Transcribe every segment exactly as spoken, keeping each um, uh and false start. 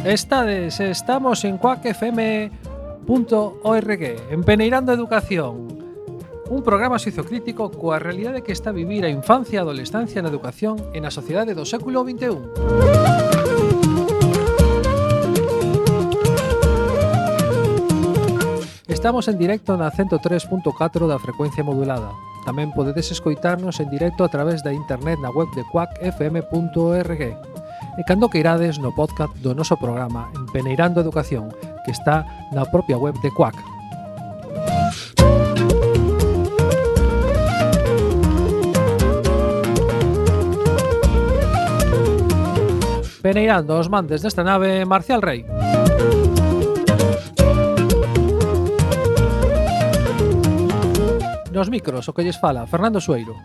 Estades, estamos en cuac f m punto org, Empeneirando a Educación, un programa sociocrítico coa realidade que está a vivir a infancia e a adolescencia na educación e na sociedade do século vinte e un. Estamos en directo na ciento tres punto catro da frecuencia modulada. Tamén podedes escoitarnos en directo a través da internet na web de cuac f m punto org. E cando que irades no podcast do noso programa Empeneirando a Educación, que está na propia web de Cuac. Peneirando os mandes desta nave, Marcial Rey. Nos micros, o que lles fala, Fernando Sueiro.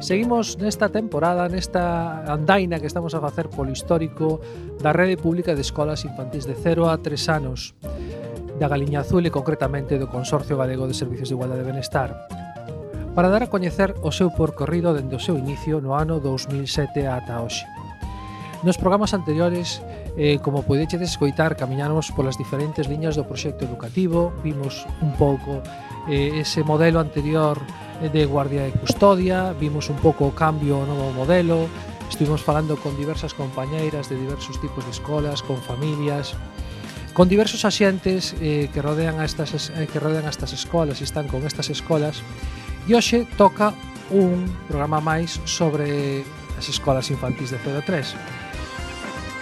Seguimos nesta temporada, nesta andaina que estamos a facer polo histórico da Rede Pública de Escolas Infantís de cero a tres anos, da Galiña Azul e concretamente do Consorcio Galego de Servicios de Igualdade e Benestar, para dar a coñecer o seu percorrido dende o seu inicio no ano dous mil sete ata hoxe. Nos programas anteriores, eh, como podedes escoitar, camiñamos polas diferentes liñas do proxecto educativo, vimos un pouco eh, ese modelo anterior de guardia e custodia, vimos un pouco o cambio ao novo modelo, estuvimos falando con diversas compañeiras de diversos tipos de escolas, con familias, con diversos axentes eh, que rodean a estas eh, que rodean a estas escolas e están con estas escolas. E hoxe toca un programa máis sobre as escolas infantís de cero a tres.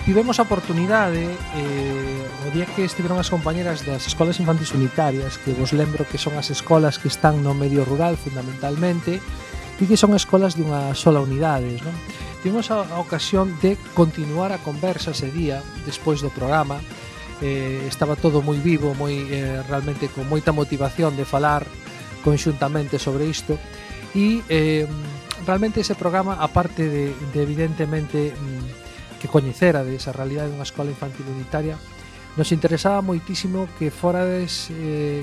Tivemos a oportunidade, eh, o día que estiveron as compañeras das escolas infantís unitarias, que vos lembro que son as escolas que están no medio rural fundamentalmente, e que son escolas de unha sola unidade, non? Tivemos a, a ocasión de continuar a conversa ese día, despois do programa. Eh, estaba todo moi vivo, moi eh, realmente con moita motivación de falar conxuntamente sobre isto, e eh, realmente ese programa, aparte de, de evidentemente que coñecera de esa realidade dunha escola infantil unitaria, nos interesaba moitísimo que forades eh,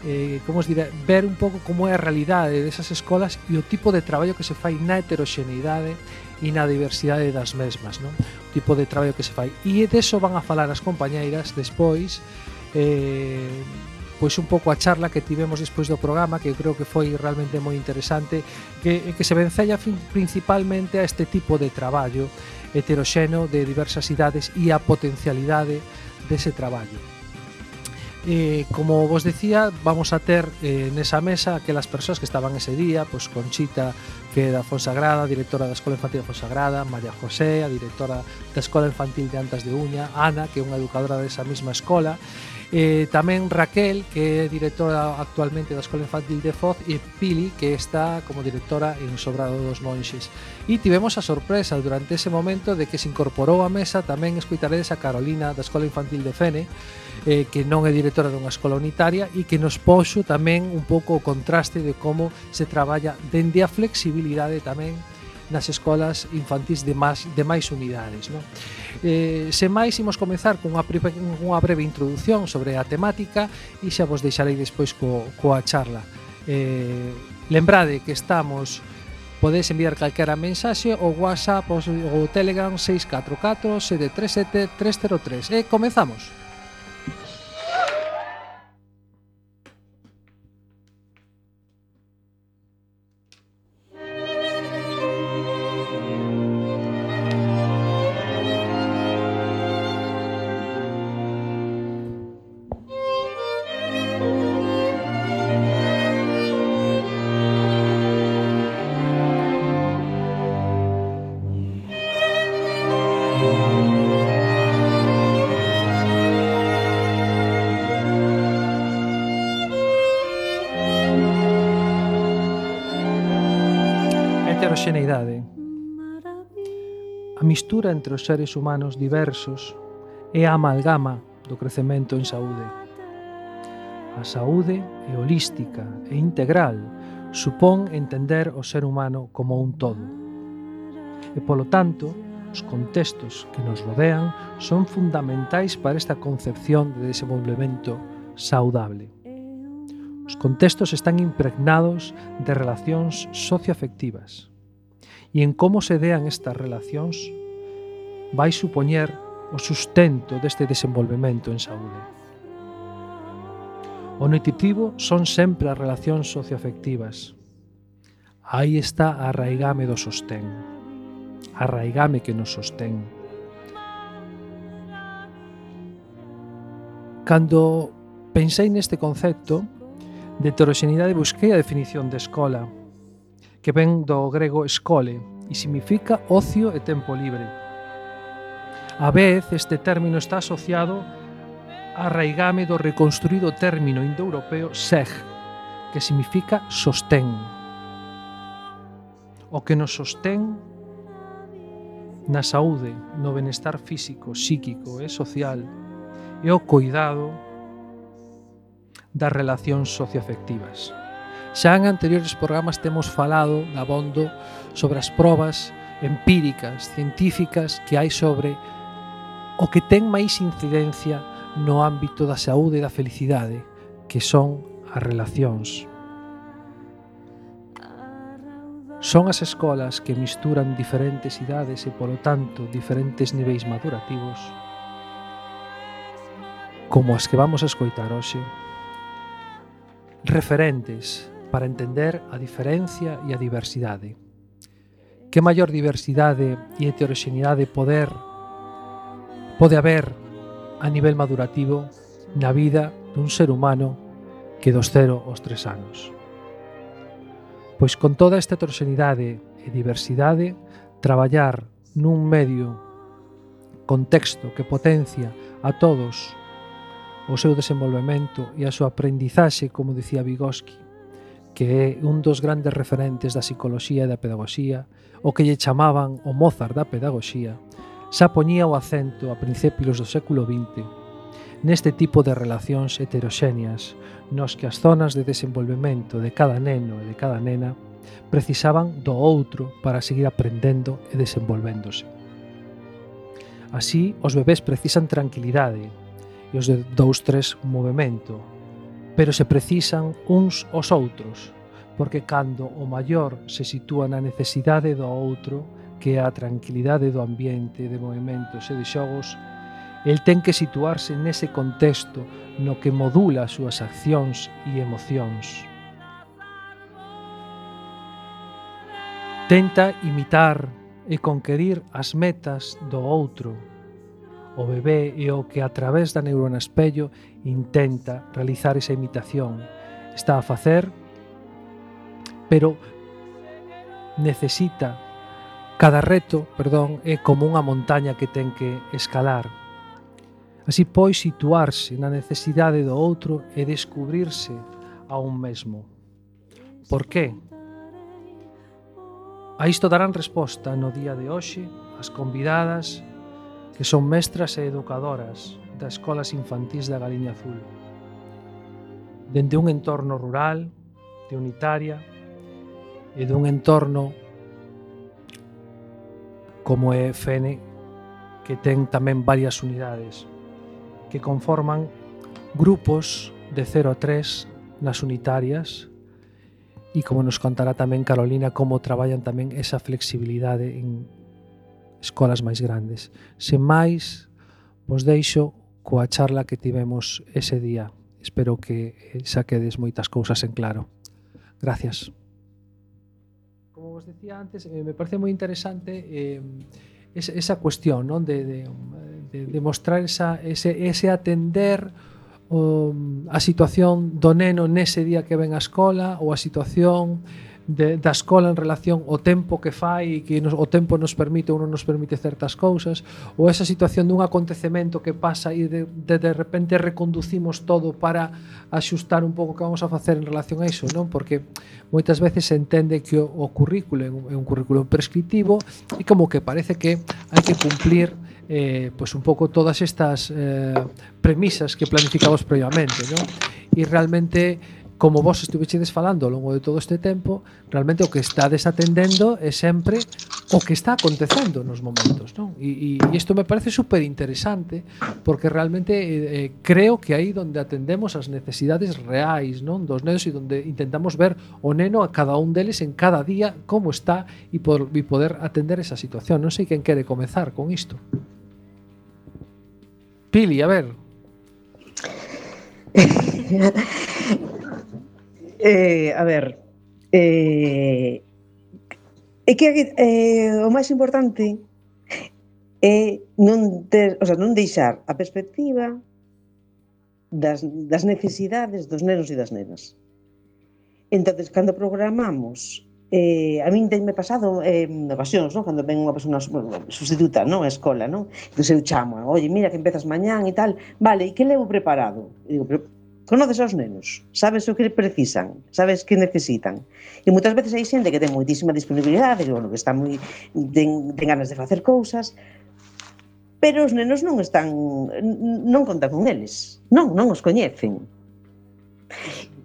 eh, como os dirá, ver un pouco como é a realidade desas escolas e o tipo de traballo que se fai na heteroxeneidade e na diversidade das mesmas, non? O tipo de traballo que se fai, e deso van a falar as compañeiras despois, eh, pois un pouco a charla que tivemos despois do programa, que eu creo que foi realmente moi interesante, que, que se vencella principalmente a este tipo de traballo heteroxeno de diversas idades e a potencialidade dese traballo. Eh, como vos decía, vamos a ter eh, nesa mesa aquelas persoas que estaban ese día, pois Conchita, que é da Fonsagrada, directora da Escola Infantil da Fonsagrada, María José, a directora da Escola Infantil de Antas de Uña, Ana, que é unha educadora desa mesma escola, eh, tamén Raquel, que é directora actualmente da Escola Infantil de Foz, e Pili, que está como directora en Sobrado dos Monxes. E tivemos a sorpresa durante ese momento de que se incorporou á mesa tamén escoitaredes a Carolina da Escola Infantil de Fene, eh, que non é directora dunha escola unitaria e que nos poxo tamén un pouco o contraste de como se traballa dende a flexibilidade tamén nas escolas infantís de máis, de máis unidades, non? Eh, sen máis, imos comezar con unha, unha breve introducción sobre a temática e xa vos deixarei despois co, coa charla. Eh, lembrade que estamos, podedes enviar calquera mensaxe o WhatsApp ou o Telegram seis catro catro sete tres sete tres cero tres. E comezamos. Heteroxeneidade. A mistura entre os seres humanos diversos é a amalgama do crecemento en saúde. A saúde é holística e integral, supón entender o ser humano como un todo. E, polo tanto, Os contextos que nos rodean son fundamentais para esta concepción de desenvolvemento saudable. Os contextos están impregnados de relacións socioafectivas e en como se dean estas relacións vai supoñer o sustento deste desenvolvemento en saúde. O nutritivo son sempre as relacións socioafectivas. Aí está a arraigame do sostén, a arraigame que nos sostén. Cando pensei neste concepto de heteroxeneidade, busquei a definición de escola, que ven do grego escole e significa ocio e tempo libre. A vez, este término está asociado a arraigame do reconstruído término indoeuropeo seg, que significa sostén. O que nos sostén na saúde, no benestar físico, psíquico e social e o cuidado das relacións socioafectivas. Xa en anteriores programas temos falado dabondo sobre as probas empíricas, científicas que hai sobre o que ten máis incidencia no ámbito da saúde e da felicidade, que son as relacións. Son as escolas que misturan diferentes idades e, polo tanto, diferentes niveis madurativos, como as que vamos a escoitar hoxe, referentes para entender a diferencia e a diversidade. Que maior diversidade e heteroxeneidade poder pode haber a nivel madurativo na vida dun ser humano que dos cero aos tres anos. Pois con toda esta heteroxeneidade e diversidade, traballar nun medio contexto que potencia a todos o seu desenvolvemento e a súa aprendizaxe, como dicía Vygotsky, que é un dos grandes referentes da psicoloxía e da pedagogía, o que lle chamaban o Mozart da pedagogía, xa poñía o acento a principios do século vinte neste tipo de relacións heteroxéneas, nos que as zonas de desenvolvemento de cada neno e de cada nena precisaban do outro para seguir aprendendo e desenvolvéndose. Así, os bebés precisan tranquilidade e os de dous tres movimento, pero se precisan uns aos outros, porque cando o maior se sitúa na necesidade do outro, que é a tranquilidade do ambiente de movimentos e de xogos, el ten que situarse nese contexto no que modula as súas accións e emocións. Tenta imitar e conquerir as metas do outro. O bebé é o que a través da neurona espello intenta realizar esa imitación. Está a facer, pero necesita, cada reto, perdón, é como unha montaña que ten que escalar. Así pois situarse na necesidade do outro e descubrirse a un mesmo. Por qué? A isto darán resposta no día de hoxe as convidadas que son mestras e educadoras das escolas infantís da Galiña Azul. Dende un entorno rural, de unitaria, e dun entorno como é Fene, que ten tamén varias unidades, que conforman grupos de cero a tres nas unitarias e, como nos contará tamén Carolina, como traballan tamén esa flexibilidade en escolas máis grandes. Sen máis, vos deixo coa charla que tivemos ese día. Espero que saquedes moitas cousas en claro. Gracias. Como vos decía antes, eh, me parece moi interesante eh, esa cuestión, non? de, de, de, de mostrar esa, ese, ese atender um, a situación do neno nese día que ven á escola, ou a situación de, da escola en relación ao tempo que fai e que nos, o tempo nos permite ou non nos permite certas cousas, ou esa situación dun acontecemento que pasa e de, de, de repente reconducimos todo para axustar un pouco que vamos a facer en relación a iso, non? Porque moitas veces se entende que o, o currículo é un, é un currículo prescriptivo e como que parece que hai que cumplir eh, pues un pouco todas estas eh, premisas que planificamos previamente, non? E realmente, como vos estuvechedes falando ao longo de todo este tempo, realmente o que estades atendendo é sempre o que está acontecendo nos momentos, non? E, e isto me parece super interesante porque realmente eh, creo que aí donde atendemos as necesidades reais, non, dos nenos e donde intentamos ver o neno a cada un deles en cada día como está e, por, e poder atender esa situación. Non sei quen quere comezar con isto. Pili, a ver. eh, a ver eh, é que eh, o máis importante é non ter, o sea, non deixar a perspectiva das, das necesidades dos nenos e das nenas. Entonces, cando programamos, eh, a min tenme pasado eh, en ocasións, non? Cando ven unha persona sustituta, non? A escola, non? Entón eu chamo, oye, mira que empezas mañán e tal, vale, e que levo preparado? E digo, pero conoces aos nenos, sabes o que precisan, sabes que necesitan. E moitas veces hai xente que ten moitísima disponibilidade, que, bueno, que está moi, ten, ten ganas de facer cousas, pero os nenos non están, non contan con eles, non, non os coñecen.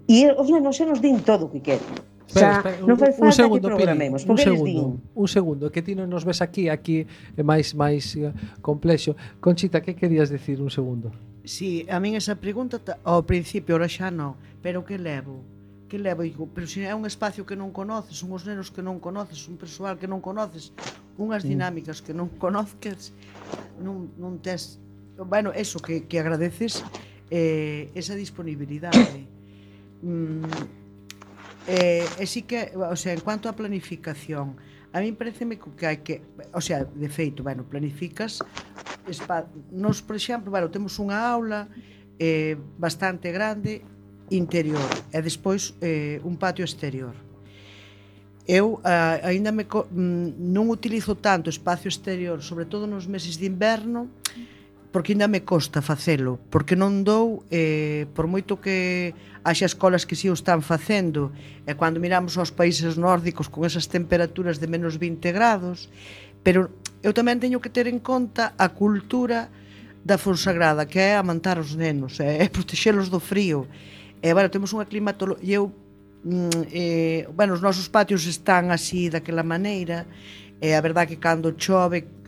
E os nenos xa nos din todo o que queren. Espera, espera, non fai falta segundo, que programemos, Pili, un porque eles segundo, din. un segundo, que ti non nos ves aquí, aquí é máis máis complexo. Conchita, que querías decir un segundo? Si, sí, a min esa pregunta ao principio, ora xa non, pero que levo? Que levo? Digo, pero se é un espacio que non conoces, unhos nenos que non conoces, un persoal que non conoces, unhas dinámicas que non conoces, non, non tes... Bueno, eso, que, que agradeces eh, esa disponibilidade. Mm, eh, e sí que, o sea, en cuanto a planificación, a mí pareceme que hai que, o sea, de feito, bueno, planificas espa, nos, por exemplo, bueno, temos unha aula eh, bastante grande interior e despois eh, un patio exterior. Eu uh, aínda me non utilizo tanto espacio exterior, sobre todo nos meses de inverno, porque ainda me costa facelo, porque non dou, eh, por moito que haxa escolas que si o están facendo, e cando miramos aos países nórdicos con esas temperaturas de menos vinte grados, pero eu tamén teño que ter en conta a cultura da Fonsagrada, que é amantar os nenos, é, é protexelos do frío. E, bueno, temos unha climatoloxía, eu, mm, eh, bueno, os nosos patios están así daquela maneira, e a verdade que cando chove,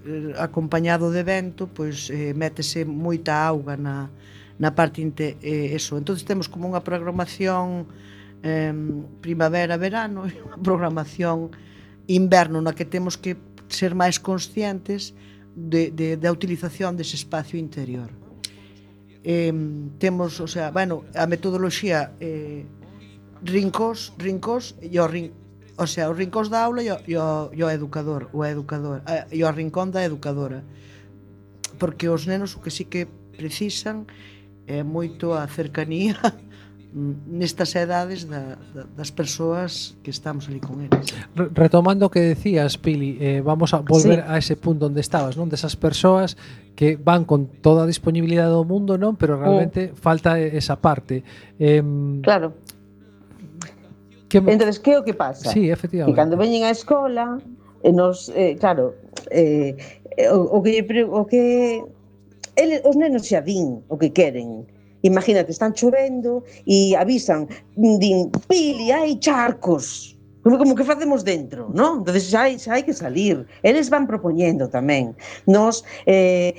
acompañado de vento, pois eh, métese moita auga na, na parte inte, eh, eso. Entonces temos como unha programación eh, primavera-verano e unha programación inverno na que temos que ser máis conscientes de, de, da utilización dese espacio interior. Eh, temos, o sea, bueno, a metodoloxía eh, rincós, rincós e o rincón, o sea, os rincóns da aula e o, e o, e o educador, o educador, e o rincón da educadora. Porque os nenos o que sí que precisan é moito a cercanía nestas edades da, da, das persoas que estamos ali con eles. Retomando o que decías, Pili, eh, vamos a volver sí. a ese punto onde estabas, non? Desas persoas que van con toda a disponibilidade do mundo, non? Pero realmente oh. falta esa parte. Eh, claro. Que me... Entonces, que é o que pasa? Sí, efectivamente. Que cando veñen á escola, eh, nos, eh, claro, eh, o, o que o que ele, os nenos xa din o que queren. Imagínate, están chovendo e avisan, din, Pili, hai charcos. Como, como que facemos dentro, non? Entonces xa hai, xa hai que salir. Eles van propoñendo tamén. Nos eh,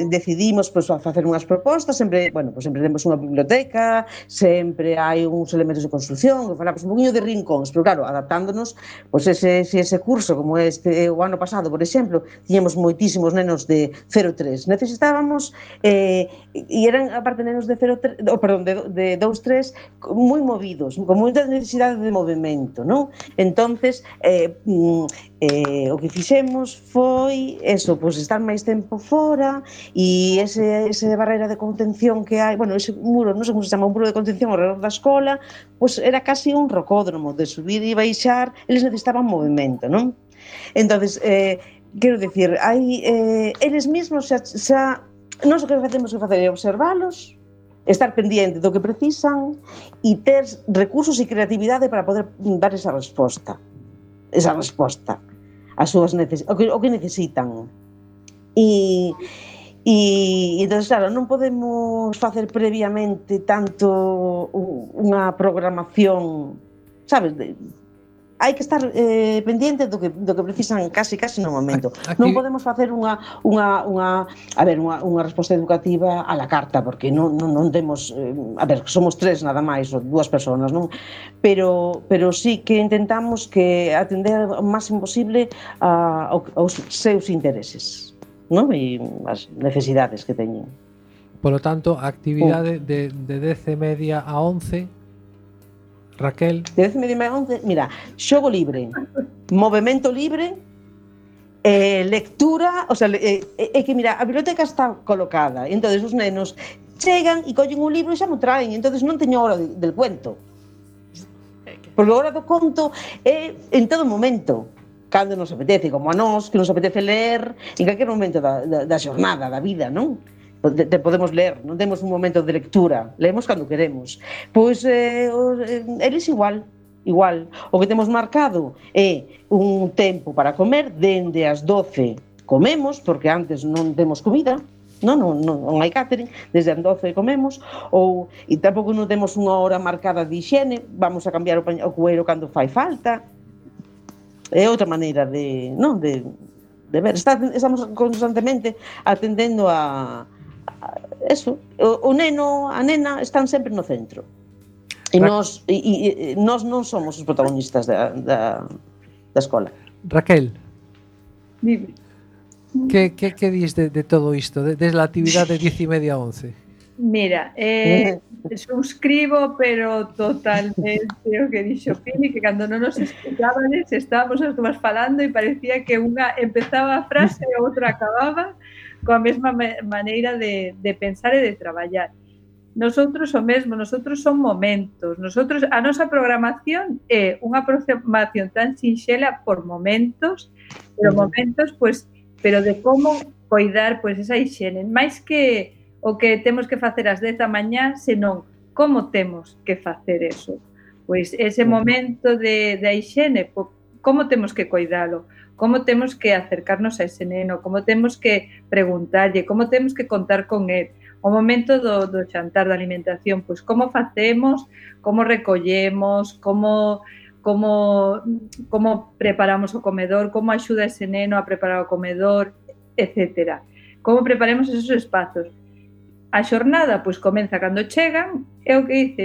decidimos pues, a facer unhas propostas, sempre, bueno, pues, sempre temos unha biblioteca, sempre hai uns elementos de construcción, que falamos un poquinho de rincóns, pero claro, adaptándonos, pues, ese, ese curso, como este o ano pasado, por exemplo, tiñamos moitísimos nenos de cero tres. Necesitábamos, eh, e eran, aparte, nenos de cero tres, oh, perdón, de, de dos tres, moi movidos, con moita necesidade de movimento, non? Entonces eh, eh, o que fixemos foi eso, pues, estar máis tempo fora e ese, ese barreira de contención que hai, bueno, ese muro, non sei como se chama, un muro de contención ao redor da escola, pues era casi un rocódromo de subir e baixar, eles necesitaban movimento, non? Entonces, eh, quero dicir, hai, eh, eles mesmos xa, xa nós o que facemos que facer é observalos, estar pendiente do que precisan e ter recursos e creatividade para poder dar esa resposta esa resposta ás súas neces- o, que, o que necesitan e, e entón, claro, non podemos facer previamente tanto unha programación, sabes, de, hai que estar eh, pendiente do que, do que precisan casi casi no momento. Aquí... Non podemos facer unha, unha, unha, a ver, unha, unha resposta educativa a la carta, porque non, non, non temos, eh, a ver, somos tres nada máis, ou dúas persoas, non? Pero, pero sí que intentamos que atender o máximo posible a, aos seus intereses, non? E as necesidades que teñen. Polo tanto, a actividade de, de dez e media a once, Raquel... De dez e media a once, mira, xogo libre, movimento libre, eh, lectura, o sea, é eh, eh, que mira, a biblioteca está colocada, e entonces os nenos chegan e collen un libro e xa mo traen, entonces non teño hora de, del cuento. Porque a hora do conto é en todo momento, cando nos apetece, como a nós, que nos apetece ler en calquer momento da, da, da xornada, da vida, non? Te, te podemos ler, non temos un momento de lectura, leemos cando queremos. Pois eh, eles igual, igual. O que temos marcado é un tempo para comer, dende as doce comemos, porque antes non temos comida, non, non, non, non hai catering, desde as doce comemos, ou, e tampouco non temos unha hora marcada de higiene, vamos a cambiar o, pañ- o cueiro cando fai falta. É outra maneira de, non, de, de ver, Está, estamos constantemente atendendo a eso, o, o neno, a nena están sempre no centro. E nós, e, e, nós non somos os protagonistas da, da, da escola. Raquel, Dime. que, que, que dis de, de todo isto, de, desde a actividade de dez e media a once? Mira, eh, suscribo, pero totalmente o que dixo Pili, que cando non nos escuchábades estábamos as dúas falando e parecía que unha empezaba a frase e outra acababa coa mesma maneira de, de pensar e de traballar. Nosotros o mesmo, nosotros son momentos, nosotros a nosa programación é unha programación tan sinxela por momentos, pero momentos, pues, pero de como coidar pues, esa higiene, máis que o que temos que facer ás dez da mañá, senón como temos que facer eso. Pois ese momento de, de higiene, como temos que coidalo, como temos que acercarnos a ese neno, como temos que preguntarlle, como temos que contar con él. O momento do, do xantar, da alimentación, pois como facemos, como recollemos, como, como, como preparamos o comedor, como axuda ese neno a preparar o comedor, etcétera. Como preparemos esos espazos. A xornada, pois, comeza cando chegan, é o que dice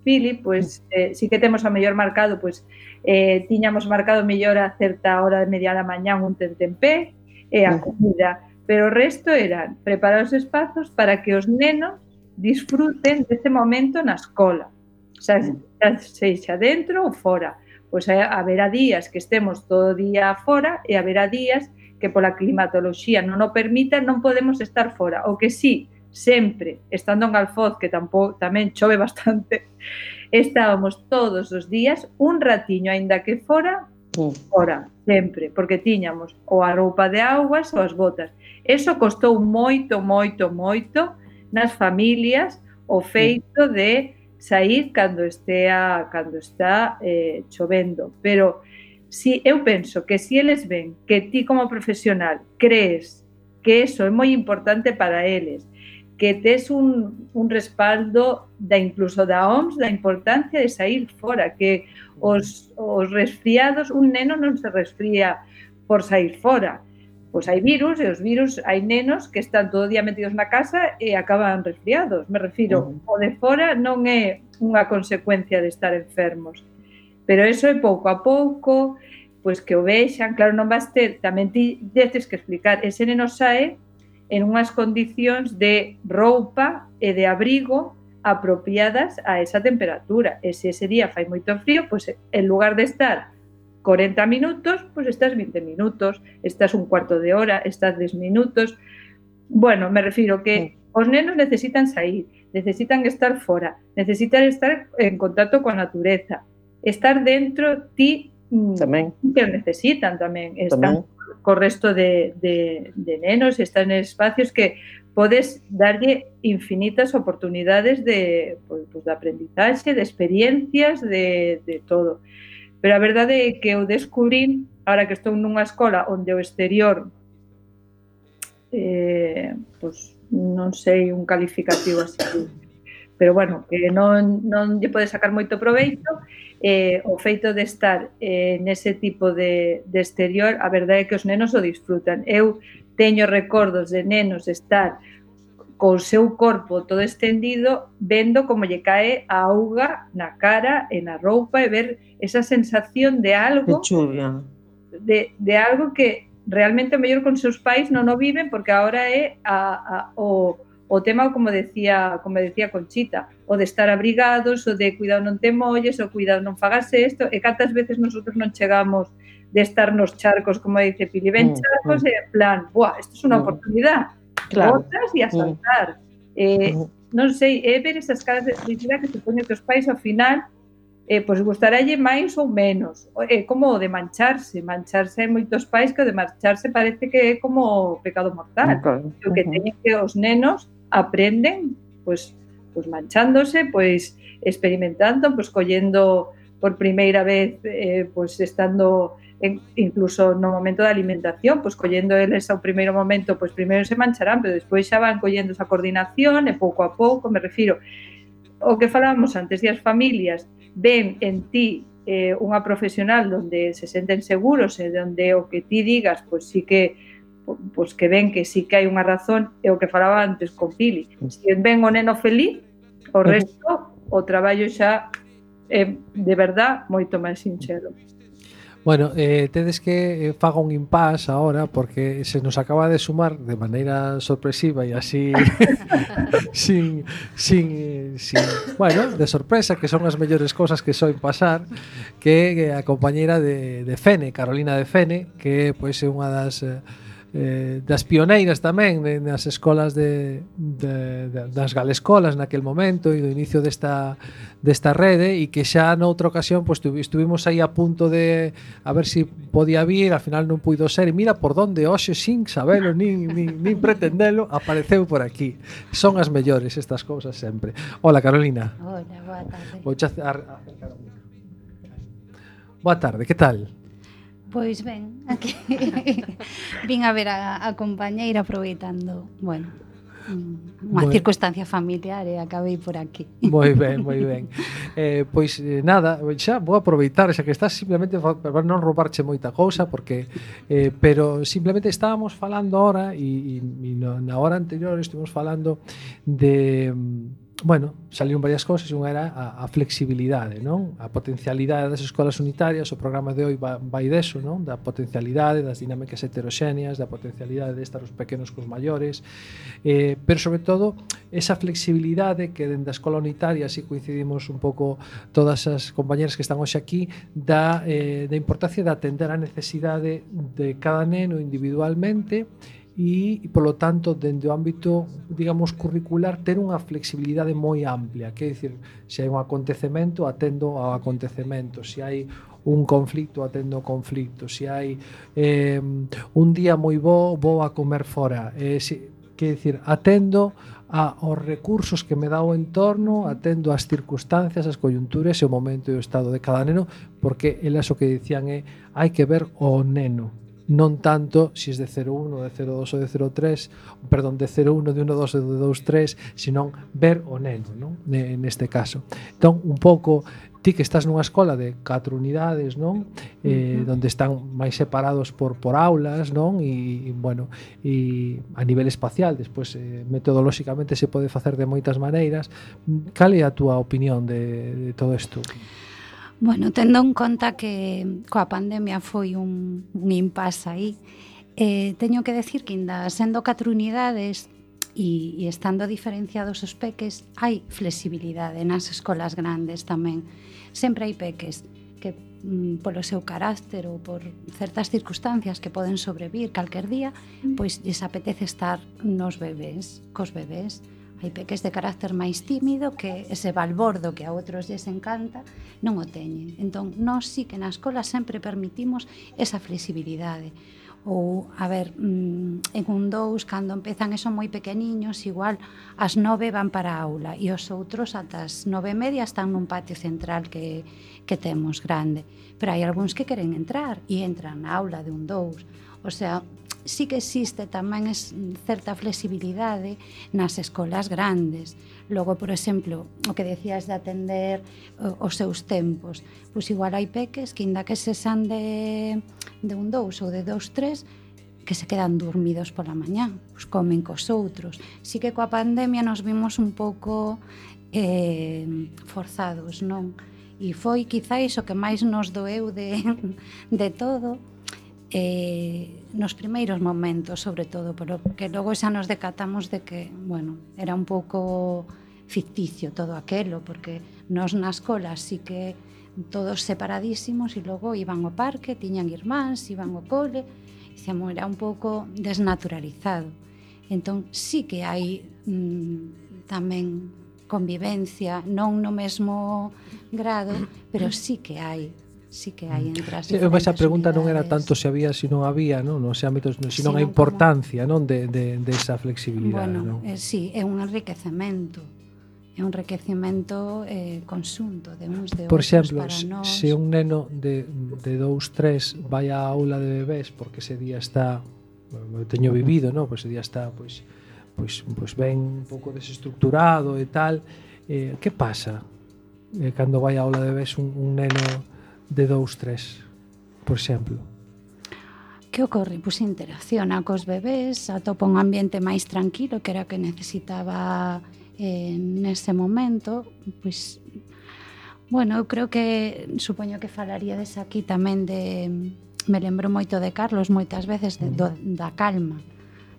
Pili, pois, eh, si que temos a mellor marcado, pois, eh, tiñamos marcado mellor a certa hora de media da mañá un tentempé e a comida, pero o resto eran preparar os espazos para que os nenos disfruten deste momento na escola, xa, xa sexa dentro ou fora. Pois haberá días que estemos todo o día fora e haberá días que pola climatoloxía non o permita, non podemos estar fora. O que sí, sempre, estando en Alfoz, que tampouco, tamén chove bastante, estábamos todos os días un ratiño, aínda que fora, fora, sempre, porque tiñamos ou a roupa de augas ou as botas. Eso costou moito, moito, moito nas familias o feito de sair cando estea, cando está eh, chovendo. Pero si eu penso que si eles ven que ti como profesional crees que eso é moi importante para eles, que tes un, un respaldo da incluso da O M S da importancia de sair fora, que os, os resfriados, un neno non se resfría por sair fora. Pois hai virus e os virus, hai nenos que están todo o día metidos na casa e acaban resfriados. Me refiro, o de fora non é unha consecuencia de estar enfermos. Pero eso é pouco a pouco, pois que o vexan, claro, non vas ter, tamén ti deces que explicar, ese neno sae en unhas condicións de roupa e de abrigo apropiadas a esa temperatura. E se ese día fai moito frío, pois en lugar de estar corenta minutos, pois estás vinte minutos, estás un cuarto de hora, estás dez minutos. Bueno, me refiro que os nenos necesitan sair, necesitan estar fora, necesitan estar en contacto coa natureza, estar dentro, ti tamén que necesitan tamén, están tamén co resto de, de, de nenos, están en espacios que podes darlle infinitas oportunidades de, pues, pues, de aprendizaxe, de experiencias, de, de todo. Pero a verdade é que eu descubrín, ahora que estou nunha escola onde o exterior, eh, pues, non sei un calificativo así, pero bueno, que non, non lle pode sacar moito proveito, eh, o feito de estar eh, nese tipo de, de exterior, a verdade é que os nenos o disfrutan. Eu teño recordos de nenos estar co seu corpo todo estendido, vendo como lle cae a auga na cara e na roupa e ver esa sensación de algo De chuvia. de, de algo que realmente o mellor con seus pais non o viven, porque agora é a, a, o, o tema, como decía, como decía Conchita, o de estar abrigados, o de cuidado non te molles, o cuidado non fagas isto, e cantas veces nosotros non chegamos de estar nos charcos, como dice Pili, ven charcos, mm, e en plan, buah, isto é unha mm. oportunidade, claro. Botas e a saltar. Mm. Eh, non sei, é ver esas caras de felicidade que supoño que os pais ao final eh, pois gustarálle máis ou menos. É eh, como o de mancharse. Mancharse hai moitos pais que o de mancharse parece que é como pecado mortal. Okay. O que teñen que os nenos aprenden pois, pois manchándose, pois experimentando, pois collendo por primeira vez, eh, pois estando en, incluso no momento da alimentación, pois collendo eles ao primeiro momento, pois primeiro se mancharán, pero despois xa van collendo esa coordinación e pouco a pouco, me refiro o que falábamos antes, e as familias ven en ti eh, unha profesional onde se senten seguros e onde o que ti digas, pois sí que pois que ven que sí que hai unha razón, é o que falaba antes con Pili. Se ven o neno feliz, o resto, o traballo xa é de verdad moito máis sinxelo. Bueno, eh, tedes que faga un impasse ahora porque se nos acaba de sumar de maneira sorpresiva e así sin, sin, sin, bueno, de sorpresa, que son as mellores cosas que soen pasar, que a compañeira de, de Fene, Carolina de Fene, que pois é unha das eh, das pioneiras tamén nas escolas de, de, de, das galescolas naquel momento e do inicio desta, desta rede, e que xa noutra ocasión pues, estuvimos aí a punto de a ver se si podía vir, al final non puido ser, e mira por donde hoxe sin sabelo nin, nin, nin pretendelo apareceu por aquí. Son as mellores estas cousas sempre. Hola Carolina. Hola, boa tarde. Vou acercar o micro. Boa tarde, que tal? Pois ben, aquí vin a ver a, a compañeira aproveitando, bueno, unha bueno. circunstancia familiar e acabei por aquí. Moi ben, moi ben. Eh, pois eh, nada, xa vou aproveitar, xa que estás simplemente para non roubarche moita cousa, porque eh, pero simplemente estábamos falando ahora e, e, e na hora anterior estuvimos falando de bueno, salieron varias cousas e unha era a, a flexibilidade, non? A potencialidade das escolas unitarias, o programa de hoy vai, vai deso, non? Da potencialidade, das dinámicas heteroxéneas, da potencialidade de estar os pequenos cos maiores, eh, pero sobre todo esa flexibilidade que dentro da escola unitaria, así coincidimos un pouco todas as compañeras que están hoxe aquí, da, eh, da importancia de atender a necesidade de cada neno individualmente e, e polo tanto, dende o ámbito, digamos, curricular, ter unha flexibilidade moi amplia, que é dicir, se hai un acontecemento, atendo ao acontecemento, se hai un conflicto, atendo ao conflicto, se hai eh, un día moi bo, vou a comer fora, eh, se, que é dicir, atendo a os recursos que me dá o entorno, atendo ás circunstancias, as coyunturas e o momento e o estado de cada neno, porque elas o que dicían é hai que ver o neno, non tanto se si es de cero uno, de cero dos ou de cero tres, perdón, de cero uno, de uno dos, de dos tres, senón ver o neno, non? Neste caso. Entón, un pouco, ti que estás nunha escola de catro unidades, non? Eh, uh-huh. Donde están máis separados por, por aulas, non? E, e, bueno, e a nivel espacial, despois, eh, metodolóxicamente se pode facer de moitas maneiras. Cal é a túa opinión de, de todo isto? Bueno, tendo en conta que coa pandemia foi un, un impasse aí, eh, teño que decir que ainda sendo catro unidades e, e estando diferenciados os peques, hai flexibilidade nas escolas grandes tamén. Sempre hai peques que mm, polo seu carácter ou por certas circunstancias que poden sobrevir calquer día, pois lles apetece estar nos bebés, cos bebés. Hai peques de carácter máis tímido que ese balbordo que a outros lles encanta non o teñen. Entón, nós sí que na escola sempre permitimos esa flexibilidade. Ou, a ver, en un dous, cando empezan e son moi pequeniños, igual as nove van para a aula e os outros ata as nove e media están nun patio central que, que temos grande. Pero hai algúns que queren entrar e entran na aula de un dous. O sea, sí que existe tamén es certa flexibilidade nas escolas grandes. Logo, por exemplo, o que decías de atender os seus tempos, pois igual hai peques que inda que se san de, de un dous ou de dous tres, que se quedan dormidos pola mañá, pois comen cos outros. Sí que coa pandemia nos vimos un pouco eh, forzados, non? E foi quizáis o que máis nos doeu de, de todo, eh, nos primeiros momentos, sobre todo, pero que logo xa nos decatamos de que, bueno, era un pouco ficticio todo aquelo, porque nos na escola sí que todos separadísimos e logo iban ao parque, tiñan irmáns, iban ao cole, dicíamos, era un pouco desnaturalizado. Entón, sí que hai mm, tamén convivencia, non no mesmo grado, pero sí que hai, sí que hai entre as sí, diferentes esa pregunta non era unidades. tanto se había, se non había, non, nos ámbitos, sino Sino a importancia, non, de, de, de esa flexibilidade, Bueno, non? eh, sí, é un enriquecemento. É un enriquecemento eh, conxunto de uns de Por outros exemplo, para se, nós. se un neno de, de dous, tres vai á aula de bebés porque ese día está, eu teño vivido, non? Pois ese día está pois, pois, pois ben un pouco desestructurado e tal, eh, que pasa eh, cando vai á aula de bebés un, un neno de dous, tres, por exemplo? Que ocorre? Pois interacciona cos bebés, atopa un ambiente máis tranquilo, que era o que necesitaba eh, nese momento. Pois, bueno, eu creo que, supoño que falaríades aquí tamén de, me lembro moito de Carlos moitas veces, de, do, da calma,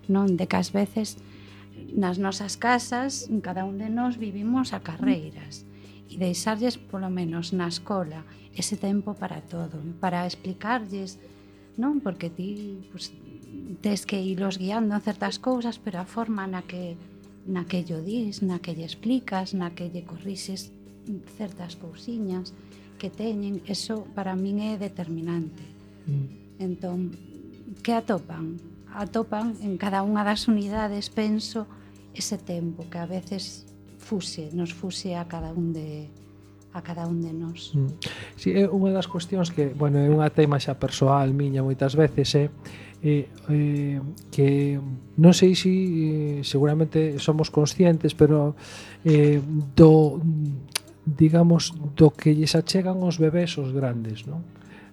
non? De que ás veces nas nosas casas, cada un de nós vivimos a carreiras, e deixarlles polo menos na escola ese tempo para todo, para explicarlles, non? Porque ti pues, tes que irlos guiando en certas cousas, pero a forma na que na que lle dis, na que lle explicas, na que lle corrixes certas cousiñas que teñen, eso para min é determinante. Mm. Entón, que atopan? Atopan en cada unha das unidades, penso, ese tempo que a veces fuse, nos fuse a cada un de a cada un de nós. Mm. Si, é unha das cuestións que, bueno, é unha tema xa persoal miña moitas veces, é eh, eh, que non sei se eh, seguramente somos conscientes, pero eh, do, digamos, do que lles achegan os bebés os grandes, non?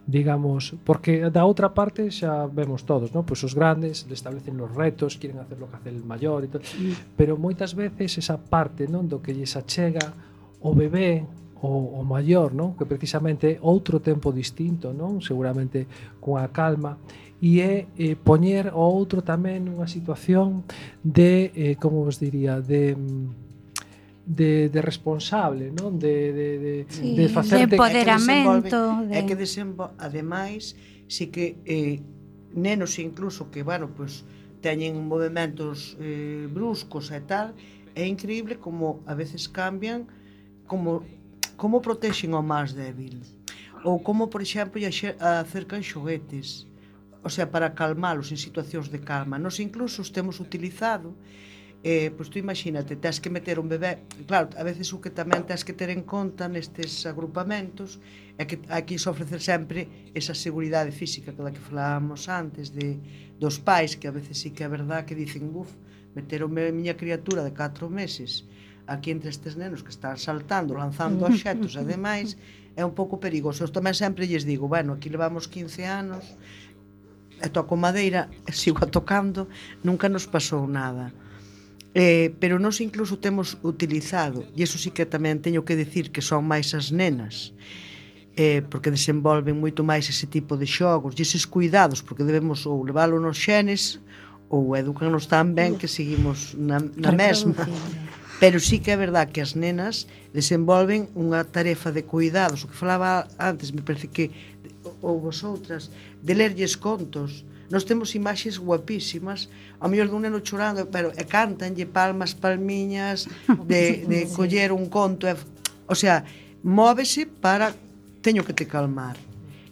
Digamos, porque da outra parte xa vemos todos, non? Pois os grandes establecen os retos, quieren hacer lo que hace el maior e tal, mm. pero moitas veces esa parte, non, do que lles achega o bebé o, o maior, non? Que precisamente é outro tempo distinto, non? Seguramente coa calma, e é eh, poñer o outro tamén nunha situación de, eh, como vos diría, de de, de responsable, non? De, de, de, sí, de facer de empoderamento. É que desenvolve, ademais, si que eh, nenos incluso que, bueno, pues, teñen movimentos eh, bruscos e tal, é increíble como a veces cambian, como, como protexen ao máis débil. Ou como, por exemplo, acercan xoguetes, o sea, para calmalos en situacións de calma. Nos incluso os temos utilizado, eh, pois tú imagínate, tens que meter un bebé, claro, a veces o que tamén tens que ter en conta nestes agrupamentos é que hai que ofrecer sempre esa seguridade física que da que falábamos antes de, dos pais, que a veces sí que é verdad que dicen, buf, meter a miña criatura de catro meses aquí entre estes nenos que están saltando, lanzando obxetos e demais, é un pouco perigoso. Eu tamén sempre lles digo, bueno, aquí levamos quince anos, e toco madeira, e sigo tocando, nunca nos pasou nada. Eh, pero nós incluso temos utilizado, e iso sí que tamén teño que decir que son máis as nenas, eh, porque desenvolven moito máis ese tipo de xogos, e eses cuidados, porque debemos ou leválo nos xenes, ou educarnos tan ben que seguimos na, na mesma. Pero sí que é verdad que as nenas desenvolven unha tarefa de cuidados, o que falaba antes, me parece que ou vosotras, de lerlles contos. Nós temos imaxes guapísimas, ao mellor dun neno chorando, pero e cantanlle palmas, palmiñas, de, de coller un conto, e, o sea, móvese para teño que te calmar.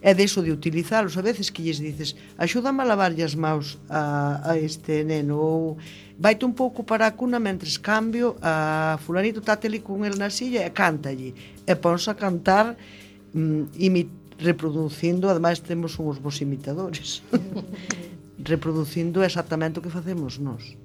É deso de utilizalos, a veces que lles dices, axúdame a lavarlle as maus a, a este neno, ou vaite un pouco para a cuna mentres cambio a fulanito táteli con el na silla e cántalle, e ponse a cantar mm, imit reproducindo, ademais temos uns bons imitadores. reproducindo exactamente o que facemos nós.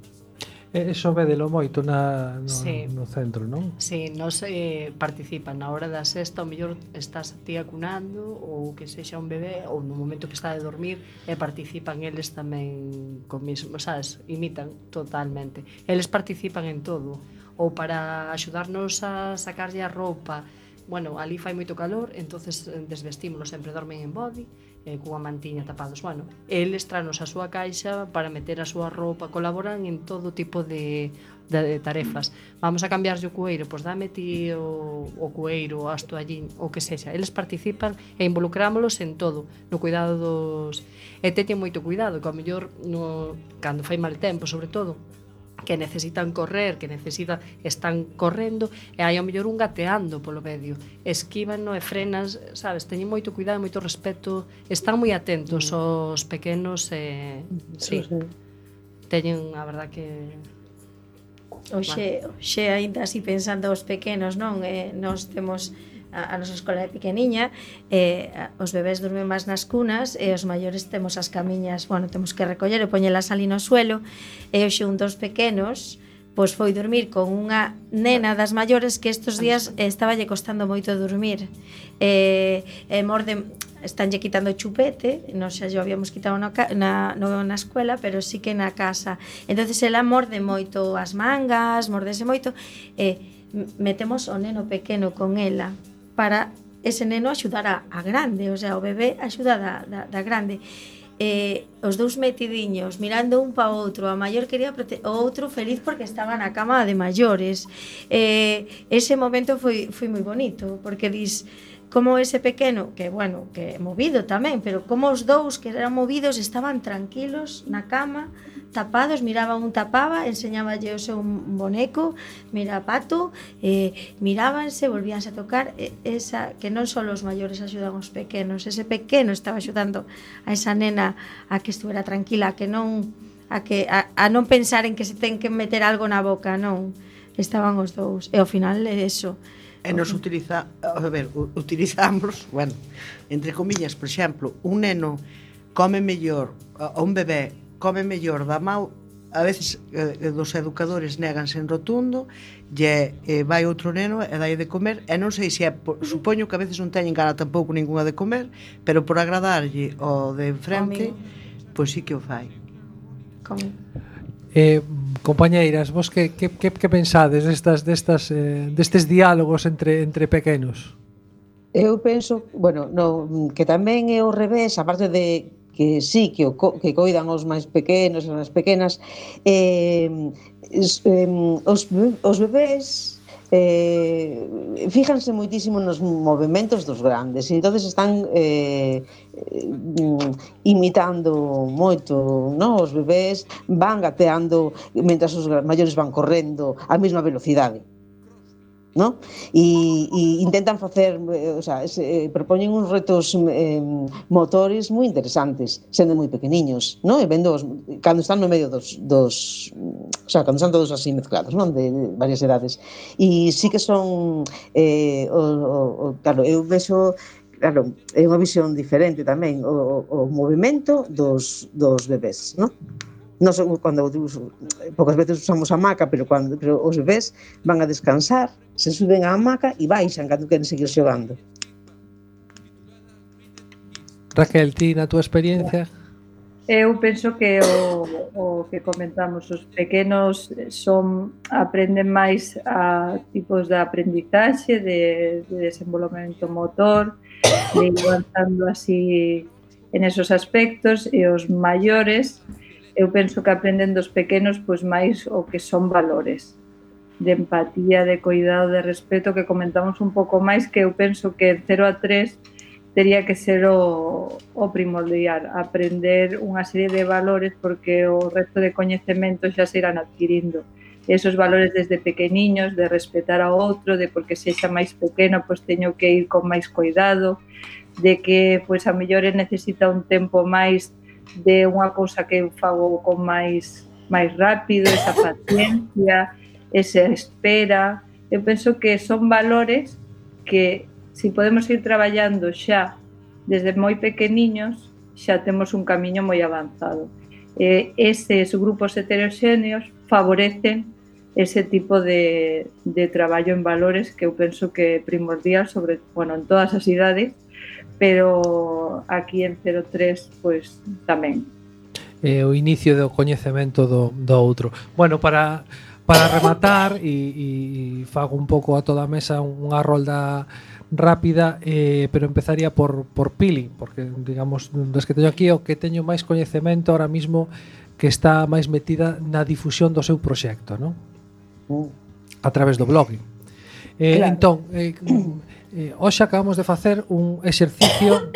Eso védelo moito na, no, Sí. no centro, non? Si, nos eh, participan na hora da sexta, ao mellor estás ti acunando ou que sexa un bebé, ou no momento que está de dormir, e participan eles tamén co mismo, sabes, imitan totalmente. Eles participan en todo, ou para axudarnos a sacarlle a roupa. Bueno, ali fai moito calor, entonces desvestímoslo, sempre dormen en body, eh, cunha mantiña tapados. Bueno, eles tranos a súa caixa para meter a súa roupa, colaboran en todo tipo de, de, de tarefas. Vamos a cambiarlle o cueiro, pois dame ti o, o cueiro, as toallín, o que sexa. Eles participan e involucrámolos en todo, no cuidado dos... E teñen moito cuidado, que ao mellor no, cando fai mal tempo, sobre todo, que necesitan correr, que necesitan están correndo e hai ao mellor un gateando polo medio, esquívano e frenas, sabes, teñen moito cuidado, moito respeto, están moi atentos aos pequenos e sí, teñen a verdad que Oxe, oxe, aínda así pensando os pequenos, non? Eh, nós temos a, a nosa escola é pequeniña, eh, os bebés dormen máis nas cunas e os maiores temos as camiñas, bueno, temos que recoller e poñelas ali no suelo, e hoxe un dos pequenos pois foi dormir con unha nena das maiores que estes días eh, estaba lle costando moito dormir. Eh, e morde, estanlle quitando o chupete, non xa yo habíamos quitado na, na, no, na escuela, pero sí que na casa. Entonces ela morde moito as mangas, mordese moito, e eh, metemos o neno pequeno con ela para ese neno axudar a, a grande, o sea, o bebé axuda da, da, da grande. Eh, os dous metidiños mirando un pa outro, a maior quería prote- o outro feliz porque estaba na cama de maiores. Eh, ese momento foi, foi moi bonito, porque dis como ese pequeno, que bueno, que movido tamén, pero como os dous que eran movidos estaban tranquilos na cama, tapados, miraba un tapaba, enseñáballe o seu boneco, mira pato, eh, mirábanse, volvíanse a tocar, eh, esa que non só os maiores axudan aos pequenos, ese pequeno estaba axudando a esa nena a que estuvera tranquila, a que non a que a, a non pensar en que se ten que meter algo na boca, non. Estaban os dous. E ao final é eso. E nos utiliza, a ver, utilizamos, bueno, entre comillas, por exemplo, un neno come mellor, a un bebé come mellor da mau, a veces eh, dos educadores néganse en rotundo, e eh, vai outro neno e dai de comer, e non sei se é, por, supoño que a veces non teñen gana tampouco ninguna de comer, pero por agradarlle o de enfrente, pois sí que o fai. Como? Eh, compañeiras, vos que, que, que, que pensades destas, destas, eh, destes diálogos entre, entre pequenos? Eu penso, bueno, no, que tamén é o revés, aparte de que sí, que, o, que coidan os máis pequenos e as máis pequenas, eh, es, eh, os, os bebés eh, fíjanse moitísimo nos movimentos dos grandes e entonces están eh, imitando moito, no? Os bebés van gateando mentras os maiores van correndo á mesma velocidade, ¿no? E, e intentan facer, o sea, se, eh, propoñen uns retos eh, motores moi interesantes, sendo moi pequeniños, ¿no? E vendo os, cando están no medio dos, dos, o sea, cando están todos así mezclados, ¿no? De, de varias edades. E sí que son, eh, o, o, o, claro, eu vexo, claro, é unha visión diferente tamén, o, o movimento dos, dos bebés, ¿no? Nos, cando poucas veces usamos a hamaca, pero cando pero os bebés van a descansar, se suben á hamaca e baixan cando queren seguir xogando. Raquel, ti na túa experiencia? Eu penso que o, o que comentamos, os pequenos son aprenden máis a tipos de aprendizaxe, de, de desenvolvemento motor, de ir avanzando así en esos aspectos, e os maiores eu penso que aprenden dos pequenos pois máis o que son valores de empatía, de cuidado, de respeto, que comentamos un pouco máis, que eu penso que de cero a tres tería que ser o, o primordial, aprender unha serie de valores, porque o resto de coñecementos xa se irán adquirindo. Esos valores desde pequeniños, de respetar ao outro, de porque sexa máis pequeno, pois teño que ir con máis cuidado, de que pois a mellores necesita un tempo máis de unha cousa que eu fago con máis máis rápido, esa paciencia, esa espera. Eu penso que son valores que, se podemos ir traballando xa desde moi pequeniños, xa temos un camiño moi avanzado. eh, eses grupos heteroxéneos favorecen ese tipo de, de traballo en valores que eu penso que é primordial, sobre, bueno, en todas as idades, pero aquí en cero tres pois tamén. Eh, o inicio do coñecemento do, do outro. Bueno, para para rematar e, e fago un pouco a toda a mesa unha rolda rápida, eh, pero empezaría por, por Pili, porque digamos, das que teño aquí, o que teño máis coñecemento ahora mismo que está máis metida na difusión do seu proxecto, non? A través do blog. Eh, claro. Entón, eh, eh, hoxe acabamos de facer un exercicio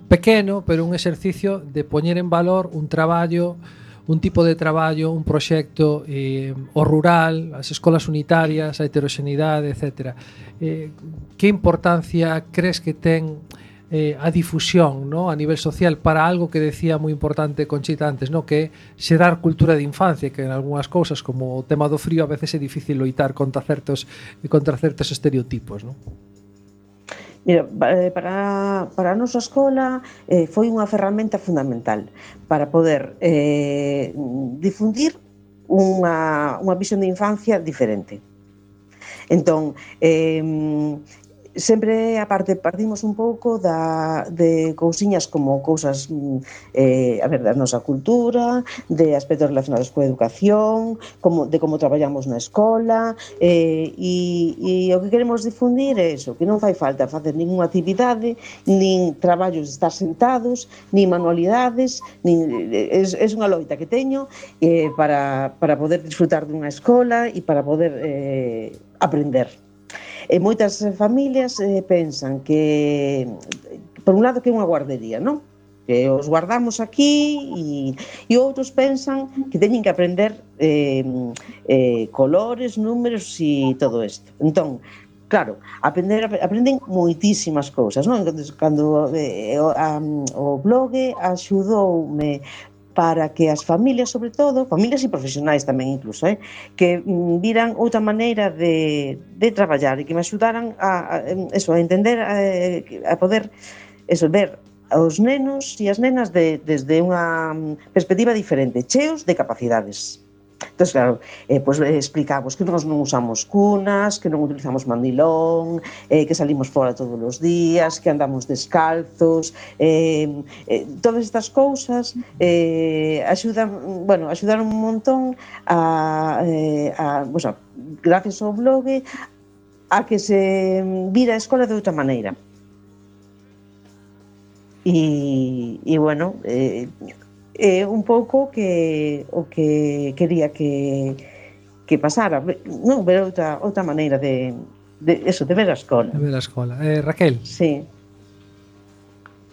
pequeno, pero un exercicio de poñer en valor un traballo, un tipo de traballo, un proxecto, eh, o rural, as escolas unitarias, a heteroxeneidade, etcétera. Eh, que importancia crees que ten eh, a difusión, ¿no?, a nivel social para algo que decía moi importante Conchita antes, ¿no?, que é xerar cultura de infancia, que en algunhas cousas, como o tema do frío, a veces é difícil loitar contra certos, contra certos estereotipos, ¿no? Mira, para, para a nosa escola eh, foi unha ferramenta fundamental para poder eh, difundir unha, unha visión de infancia diferente. Entón, eh, sempre, aparte, partimos un pouco da, de cousiñas como cousas eh, a ver, da nosa cultura, de aspectos relacionados coa educación, como, de como traballamos na escola, eh, e, e o que queremos difundir é eso, que non fai falta facer ninguna actividade, nin traballos de estar sentados, nin manualidades, nin, é, é unha loita que teño eh, para, para poder disfrutar dunha escola e para poder eh, aprender. E moitas familias eh, pensan que, por un lado, que é unha guardería, non? Que os guardamos aquí e, e outros pensan que teñen que aprender eh, eh, colores, números e todo isto. Entón, claro, aprender, aprenden moitísimas cousas, non? Entón, cando eh, o, a, o blog axudoume para que as familias, sobre todo, familias e profesionais tamén incluso, eh, que mm, viran outra maneira de, de traballar e que me axudaran a, a, eso, a entender, a, a poder eso, ver os nenos e as nenas de, desde unha perspectiva diferente, cheos de capacidades. Entón, claro, eh, pues, eh, explicamos que nós non usamos cunas, que non utilizamos mandilón, eh, que salimos fora todos os días, que andamos descalzos, eh, eh, todas estas cousas eh, axudan, bueno, axudaron un montón a, eh, a, pues, a, gracias ao blog, a que se vira a escola de outra maneira. E, e bueno, eh, é un pouco que o que quería que que pasara, non, ver outra outra maneira de de eso, de ver a escola. De ver a escola. Eh, Raquel. Sí.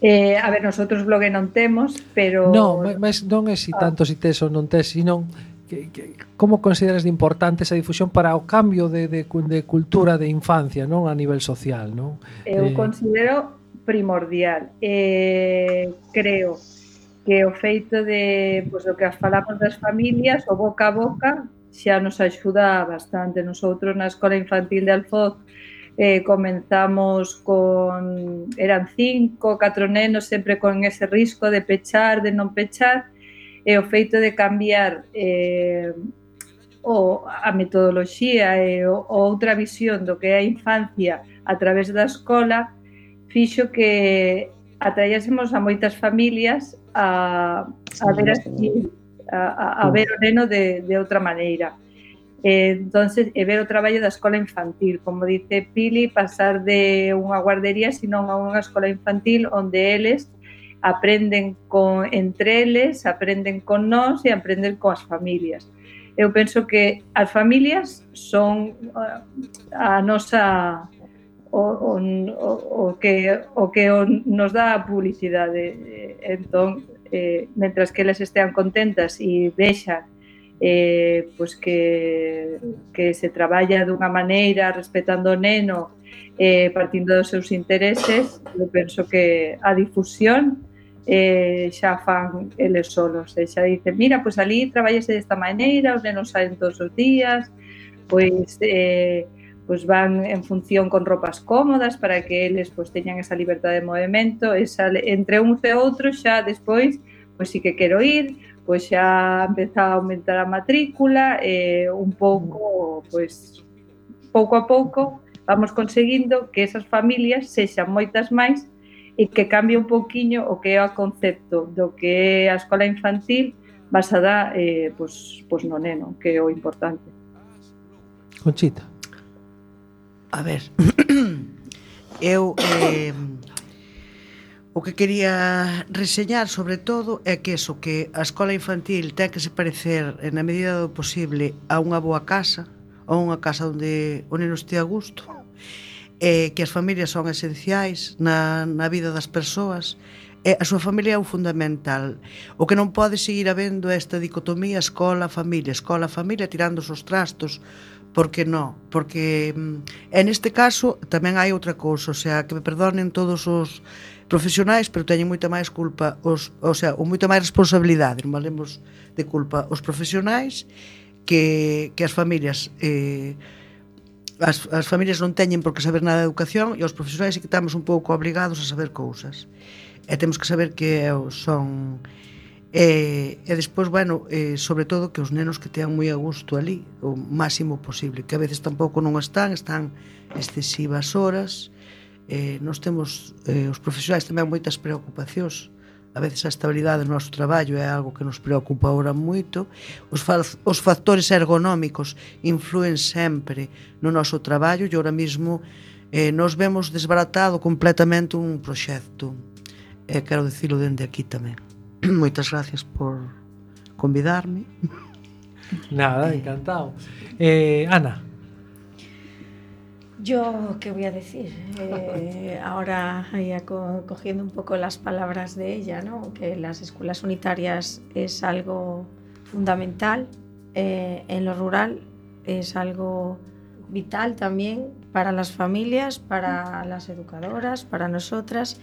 Eh, a ver, nosotros blog non temos, pero No, mas non é si tanto si tes ou non tes, sino que, que como consideras de importante esa difusión para o cambio de, de, de cultura de infancia, non, a nivel social, non? Eu eh... considero primordial. Eh, creo que o feito de, pois, do que falamos das familias, o boca a boca, xa nos axuda bastante. Nosotros na Escola Infantil de Alfoz eh, comenzamos con, eran cinco, catro nenos, sempre con ese risco de pechar, de non pechar, e o feito de cambiar eh, o, a metodoloxía e o, o outra visión do que é a infancia a través da escola, fixo que atraíásemos a moitas familias a, a ver así, a, a ver o neno de, de outra maneira. Eh, entonces, e ver o traballo da escola infantil, como dice Pili, pasar de unha guardería senón a unha escola infantil onde eles aprenden con, entre eles, aprenden con nós e aprenden coas familias. Eu penso que as familias son a nosa o, o, o que o que nos dá a publicidade. Entón, eh, mentras que eles estean contentas e vexan eh, pues que, que se traballa dunha maneira respetando o neno, eh, partindo dos seus intereses, eu penso que a difusión eh, xa fan eles solos, e xa dicen, mira, pois ali traballase desta maneira, os nenos saen todos os días, pois eh, pois van en función con ropas cómodas para que eles pois teñan esa liberdade de movimento, esa, entre uns e outros xa despois pois sí que quero ir, pois xa empeza a aumentar a matrícula e un pouco, pois, pouco a pouco vamos conseguindo que esas familias sexan moitas máis e que cambie un pouquiño o que é o concepto do que é a escola infantil basada eh, pois, pois no neno, que é o importante. Conchita. A ver, eu eh, o que quería reseñar sobre todo é que eso, que a escola infantil ten que se parecer na medida do posible a unha boa casa, a unha casa onde o neno este a gusto, e que as familias son esenciais na, na vida das persoas, e a súa familia é o fundamental. O que non pode seguir habendo é esta dicotomía escola-familia, escola-familia tirando os trastos, porque non, porque en este caso tamén hai outra cousa, o sea, que me perdonen todos os profesionais, pero teñen moita máis culpa, os, o sea, ou moita máis responsabilidade, non valemos de culpa os profesionais que, que as familias. Eh, as, as familias non teñen por que saber nada de educación e os profesionais sí que estamos un pouco obrigados a saber cousas. E temos que saber que son... E, e despois, bueno, eh, sobre todo que os nenos que tean moi a gusto ali, o máximo posible, que a veces tampouco non están, están excesivas horas. Eh, nós temos, eh, os profesionais tamén moitas preocupacións, a veces a estabilidade do noso traballo é algo que nos preocupa ahora moito. Os, fa os factores ergonómicos influen sempre no noso traballo e ahora mesmo eh, nos vemos desbaratado completamente un proxecto. E quero dicilo dende aquí tamén. Moitas gracias por convidarme. Nada, encantado. Eh, Ana. Yo, ¿qué voy a decir? Eh, ahora ya co cogiendo un poco las palabras de ella, ¿no? Que las escuelas unitarias es algo fundamental eh, en lo rural, es algo vital también para las familias, para las educadoras, para nosotras,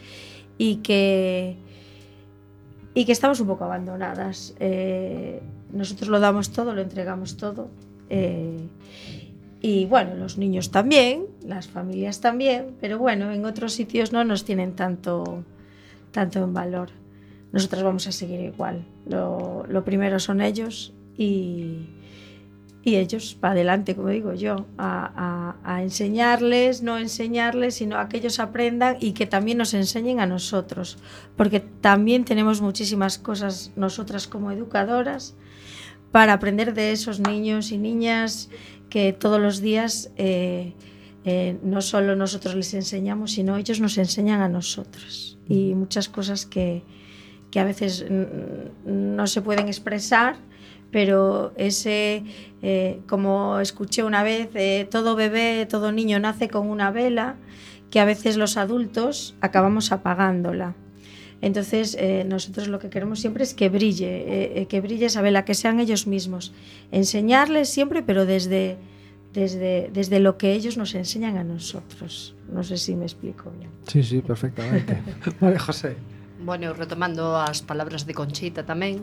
y que y que estamos un poco abandonadas. Eh, nosotros lo damos todo, lo entregamos todo. Eh, y bueno, los niños también, las familias también, pero bueno, en otros sitios no nos tienen tanto, tanto en valor. Nosotras vamos a seguir igual. Lo, lo primero son ellos y, y ellos para adelante, como digo yo, a, a, a enseñarles, no enseñarles, sino a que ellos aprendan y que también nos enseñen a nosotros, porque también tenemos muchísimas cosas nosotras como educadoras para aprender de esos niños y niñas que todos los días eh, eh, no solo nosotros les enseñamos, sino ellos nos enseñan a nosotros, y muchas cosas que, que a veces no se pueden expresar, pero ese, eh, como escuché una vez, eh, todo bebé, todo niño nace con una vela que a veces los adultos acabamos apagándola. Entonces eh, nosotros lo que queremos siempre es que brille, eh, que brille esa vela, que sean ellos mismos, enseñarles siempre, pero desde, desde, desde lo que ellos nos enseñan a nosotros. No sé si me explico bien. Sí, sí, perfectamente. Vale, José. Bueno, retomando as palabras de Conchita tamén,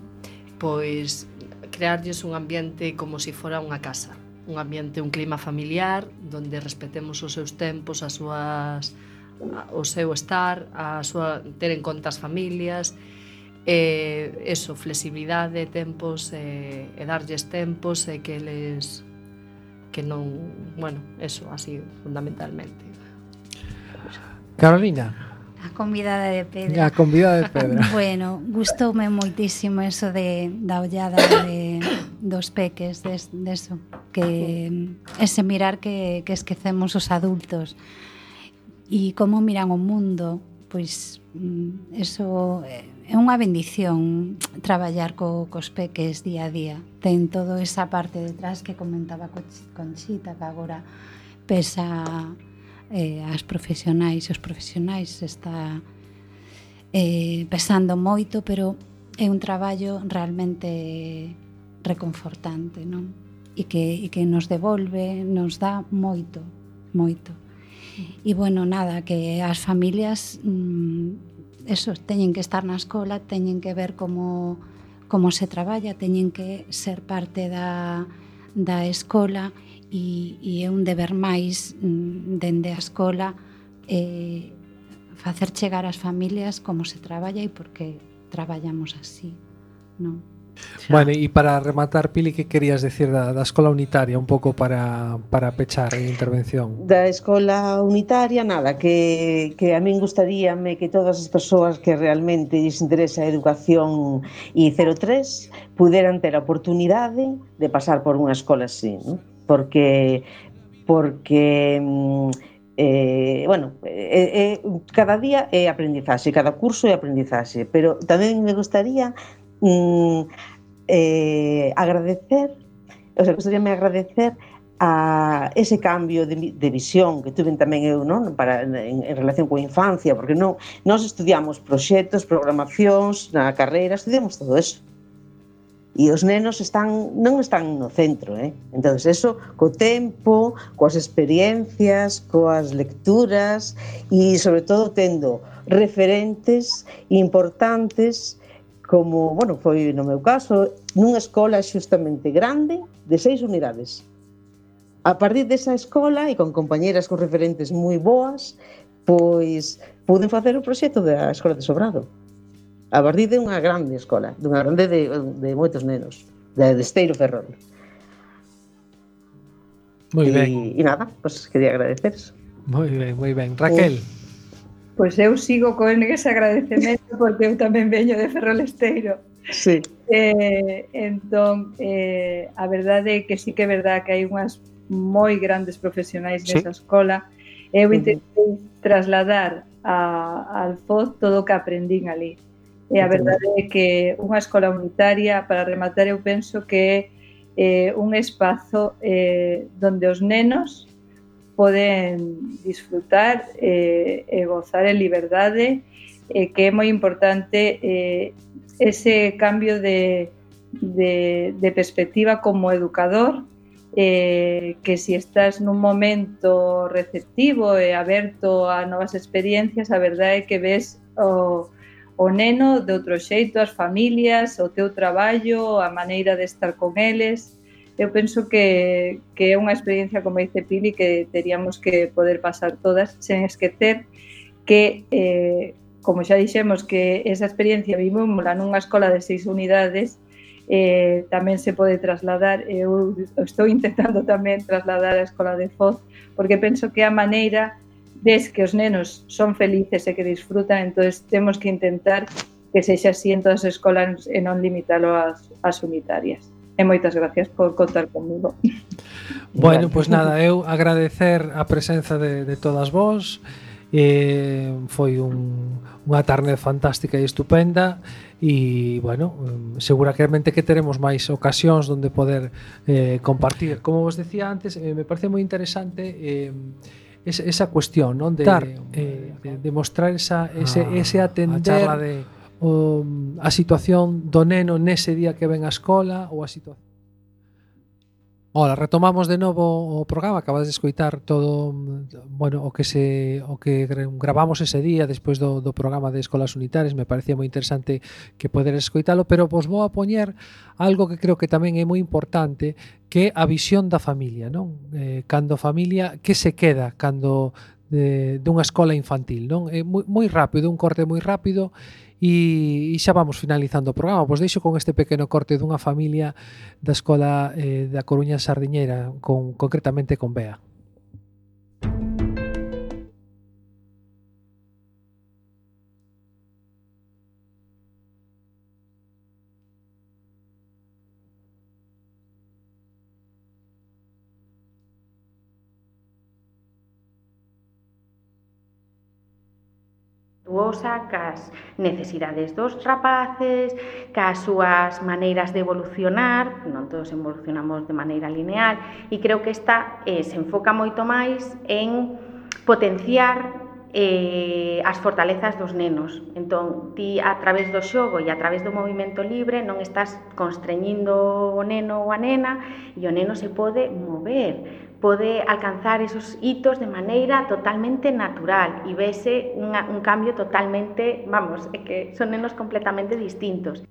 pois crearlles un ambiente como se si fora unha casa, un ambiente, un clima familiar donde respetemos os seus tempos, as súas, o seu estar, a súa, ter en conta as familias, e eso, flexibilidade, tempos, e, e darlles tempos e que les que non, bueno, eso, así fundamentalmente. Carolina. A convidada de pedra. A convidada de pedra. Bueno, gustoume moitísimo eso de da ollada de dos peques, de, de eso, que ese mirar que, que esquecemos os adultos e como miran o mundo, pois eso é unha bendición traballar co, cos peques día a día. Ten toda esa parte detrás que comentaba Conchita, que agora pesa eh, as profesionais, os profesionais está eh, pesando moito, pero é un traballo realmente reconfortante, non? E que, e que nos devolve, nos dá moito, moito. E bueno, nada, que as familias mmm, eso, teñen que estar na escola, teñen que ver como, como se traballa, teñen que ser parte da, da escola, e, e é un deber máis mmm, dende a escola eh, facer chegar ás familias como se traballa e por que traballamos así, non? Bueno, e para rematar, Pili, que querías decir da, da escola unitaria, un pouco para, para pechar a intervención? Da escola unitaria, nada, que, que a min gustaríame que todas as persoas que realmente lles interesa a educación e cero tres puderan ter a oportunidade de pasar por unha escola así, ¿no? Porque porque eh, bueno, eh, eh, cada día é aprendizaxe, cada curso é aprendizaxe, pero tamén me gustaría mm, eh, agradecer, o sea, gustaríame agradecer a ese cambio de, de visión que tuven tamén eu, non? Para, en, en relación coa infancia, porque non, nós estudiamos proxectos, programacións na carreira, estudiamos todo eso. E os nenos están, non están no centro, eh? Entón, eso, co tempo, coas experiencias, coas lecturas e, sobre todo, tendo referentes importantes como, bueno, foi no meu caso, nunha escola xustamente grande de seis unidades. A partir desa escola e con compañeras con referentes moi boas, pois puden facer o proxecto da Escola de Sobrado. A partir de unha grande escola, dunha grande de, de moitos nenos, de Esteiro Ferrol. Moi e, ben. E nada, pois quería agradecer eso. Moi ben, moi ben. Raquel. Pois eu sigo con ese agradecemento porque eu tamén veño de Ferrol Esteiro. Sí. Eh, entón, eh, a verdade é que sí que é verdade que hai unhas moi grandes profesionais nesa sí. escola. Eu intentei uh-huh. trasladar a, al F O Z todo o que aprendín ali. E a verdade é que unha escola unitaria, para rematar, eu penso que é eh, un espazo eh, donde os nenos poden disfrutar eh, e gozar en liberdade, eh, que é moi importante eh, ese cambio de, de, de perspectiva como educador, eh, que si estás nun momento receptivo e aberto a novas experiencias, a verdade é que ves o, o neno de outro xeito, as familias, o teu traballo, a maneira de estar con eles. Eu penso que, que é unha experiencia, como dice Pili, que teríamos que poder pasar todas, sen esquecer que, eh, como xa dixemos, que esa experiencia vivimosla nunha escola de seis unidades, eh, tamén se pode trasladar, eu estou intentando tamén trasladar a escola de F O Z, porque penso que a maneira ves que os nenos son felices e que disfrutan, entón temos que intentar que sexa así en todas as escolas e non limitalo ás, ás unitarias. E moitas gracias por contar comigo. Bueno, pois pues nada, eu agradecer a presenza de, de todas vós. Eh, foi un, unha tarde fantástica e estupenda e, bueno, seguramente que teremos máis ocasións onde poder eh, compartir. Como vos decía antes, eh, me parece moi interesante eh, esa, esa cuestión, non? De, eh, de, de mostrar esa, ese, ese atender a charla de o, a situación do neno nese día que ven á escola ou a situación. Ola, retomamos de novo o programa, acabas de escoitar todo, bueno, o que se o que gravamos ese día despois do, do programa de Escolas Unitarias, me parecía moi interesante que poderes escoitalo, pero vos vou a poñer algo que creo que tamén é moi importante, que é a visión da familia, non? Eh, cando a familia, que se queda cando de, dunha escola infantil, non? É moi, moi rápido, un corte moi rápido. E, e xa vamos finalizando o programa. Pois deixo con este pequeno corte dunha familia da escola eh, da Coruña Sardiñeira, con, concretamente con Bea. Cas necesidades dos rapaces, cas súas maneiras de evolucionar, non todos evolucionamos de maneira lineal, e creo que esta eh, se enfoca moito máis en potenciar eh, as fortalezas dos nenos. Entón, ti a través do xogo e a través do movimento libre non estás constreñindo o neno ou a nena, e o neno se pode mover, pode alcanzar esos hitos de maneira totalmente natural e vese unha, un cambio totalmente, vamos, é que son nenos completamente distintos.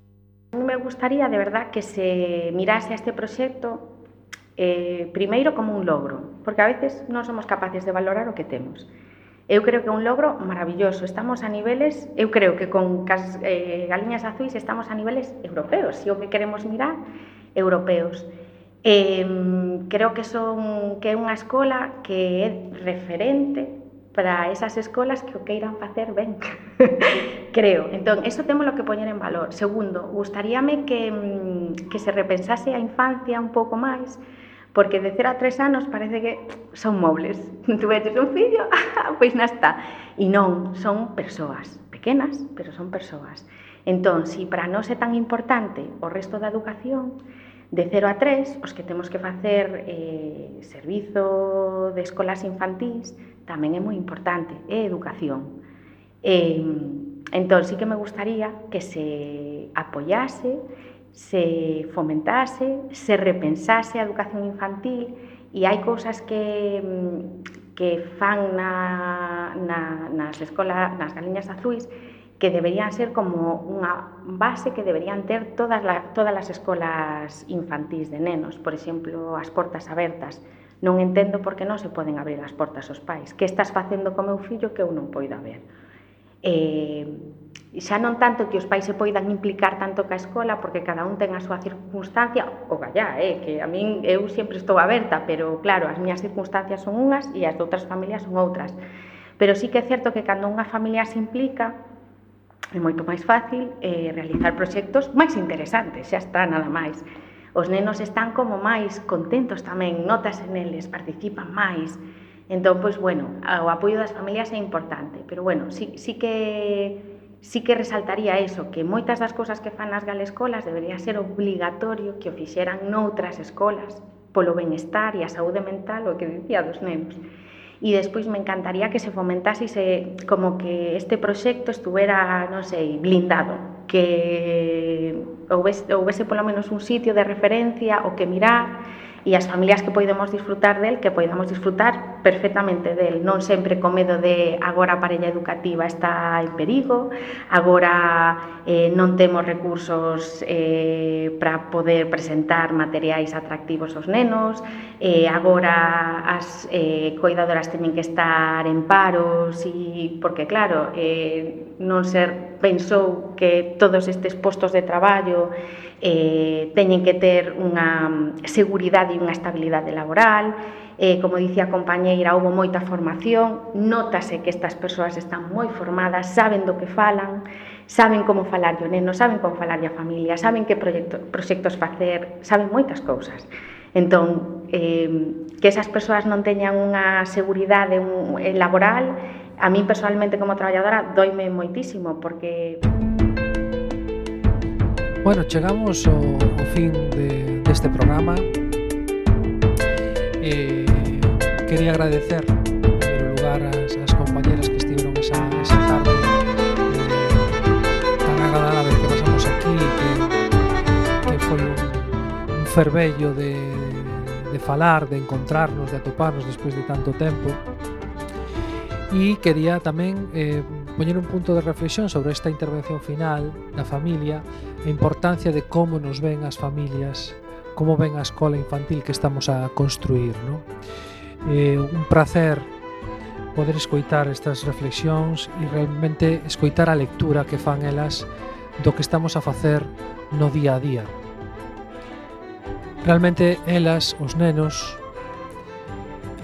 A mí me gustaría, de verdad, que se mirase a este proxecto eh, primeiro como un logro, porque a veces non somos capaces de valorar o que temos. Eu creo que é un logro maravilloso. Estamos a niveles, eu creo que con cas, eh, Galiñas Azuis estamos a niveles europeos, se o que queremos mirar, europeos. Eh, creo que son que é unha escola que é referente para esas escolas que o queiran facer ben. Creo. Entón, eso temos lo que poñer en valor. Segundo, gustaríame que, que se repensase a infancia un pouco máis, porque de cero a tres anos parece que son mobles. Tu veches un fillo, pois na está. E non, son persoas pequenas, pero son persoas. Entón, si para nós é tan importante o resto da educación, de cero a tres, os que temos que facer eh, servizo de escolas infantís, tamén é moi importante, é educación. Eh, entón, sí que me gustaría que se apoyase, se fomentase, se repensase a educación infantil, e hai cousas que, que fan na, na, nas escolas, nas Galiñas Azuis, que deberían ser como unha base que deberían ter todas, la, todas as escolas infantís de nenos. Por exemplo, as portas abertas. Non entendo por que non se poden abrir as portas aos pais. Que estás facendo co meu fillo que eu non poida ver? Eh, xa non tanto que os pais se poidan implicar tanto ca escola, porque cada un ten a súa circunstancia, o gallá, eh, que a min eu sempre estou aberta, pero claro, as miñas circunstancias son unhas e as de outras familias son outras. Pero sí que é certo que cando unha familia se implica, é moito máis fácil eh, realizar proxectos máis interesantes, xa está, nada máis. Os nenos están como máis contentos tamén, notas neles, participan máis. Entón, pois, bueno, o apoio das familias é importante, pero, bueno, sí, sí que sí que resaltaría eso, que moitas das cousas que fan nas galescolas debería ser obligatorio que o fixeran noutras escolas, polo benestar e a saúde mental, o que dicía dos nenos. E despois me encantaría que se fomentase e se, como que este proxecto estuvera, non sei, blindado, que houvese, houvese polo menos un sitio de referencia o que mirar, e as familias que podemos disfrutar del, que podamos disfrutar perfectamente del, non sempre co medo de agora a parella educativa está en perigo, agora eh, non temos recursos eh, para poder presentar materiais atractivos aos nenos, eh, agora as eh, coidadoras teñen que estar en paros, e, porque claro, eh, non ser pensou que todos estes postos de traballo eh, teñen que ter unha seguridade e unha estabilidade laboral. Eh, como dicía a compañeira, houve moita formación, nótase que estas persoas están moi formadas, saben do que falan, saben como falar o neno, saben como falar a familia, saben que proxecto, proxectos facer, saben moitas cousas. Entón, eh, que esas persoas non teñan unha seguridade un, eh, laboral, a mí personalmente como traballadora doime moitísimo, porque... Bueno, chegamos ao, ao fin de, deste programa. Eh, quería agradecer, en primeiro lugar, as, as compañeras que estiveron esa, esa tarde eh, tan agradable que pasamos aquí, que, que foi un, un fervello de, de falar, de encontrarnos, de atoparnos despois de tanto tempo. E quería tamén eh, poñer un punto de reflexión sobre esta intervención final da familia, a importancia de como nos ven as familias, como ven a escola infantil que estamos a construir, ¿no? Eh, un placer poder escoitar estas reflexións e realmente escoitar a lectura que fan elas do que estamos a facer no día a día. Realmente elas, os nenos,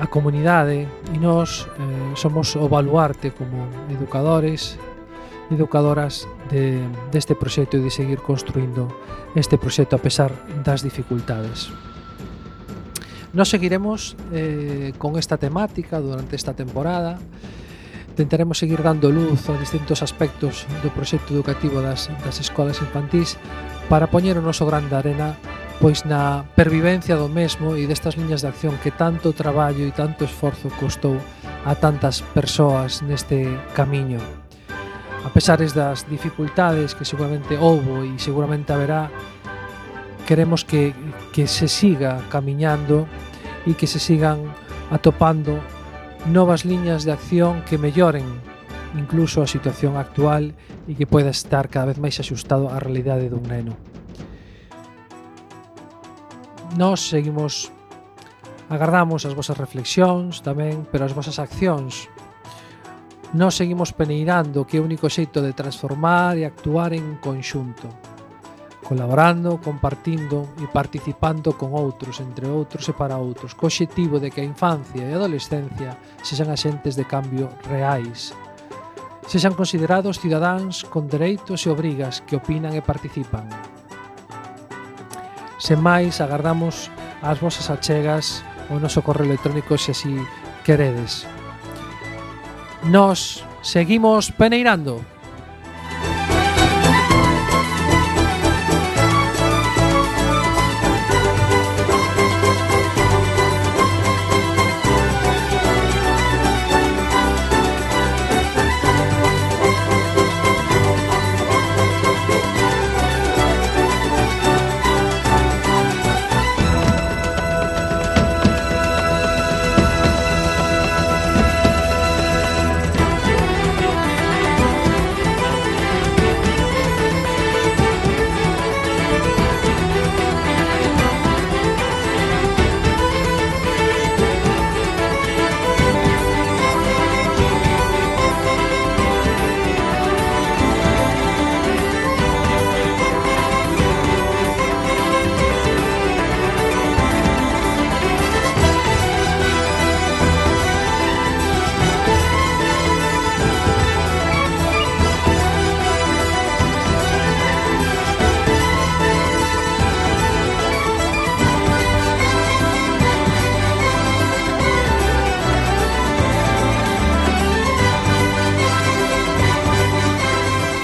a comunidade e nós eh, somos o baluarte como educadores e educadoras de, deste proxecto e de seguir construindo este proxecto a pesar das dificultades. Nós seguiremos eh, con esta temática durante esta temporada. Intentaremos seguir dando luz a distintos aspectos do proxecto educativo das, das escolas infantís para poñer o noso grande arena pois na pervivencia do mesmo e destas liñas de acción que tanto traballo e tanto esforzo costou a tantas persoas neste camiño. A pesares das dificultades que seguramente houbo e seguramente haberá, queremos que, que se siga camiñando e que se sigan atopando novas liñas de acción que melloren incluso a situación actual e que poida estar cada vez máis axustado á realidade dun neno. Nós seguimos, agardamos as vosas reflexións tamén, pero as vosas accións. Nós seguimos peneirando que é o único xeito de transformar e actuar en conxunto, colaborando, compartindo e participando con outros, entre outros e para outros, co obxectivo de que a infancia e a adolescencia sexan axentes de cambio reais, sexan considerados cidadáns con dereitos e obrigas que opinan e participan. Sen máis, agardamos as vosas achegas ao noso correo electrónico se así queredes. Nos seguimos peneirando.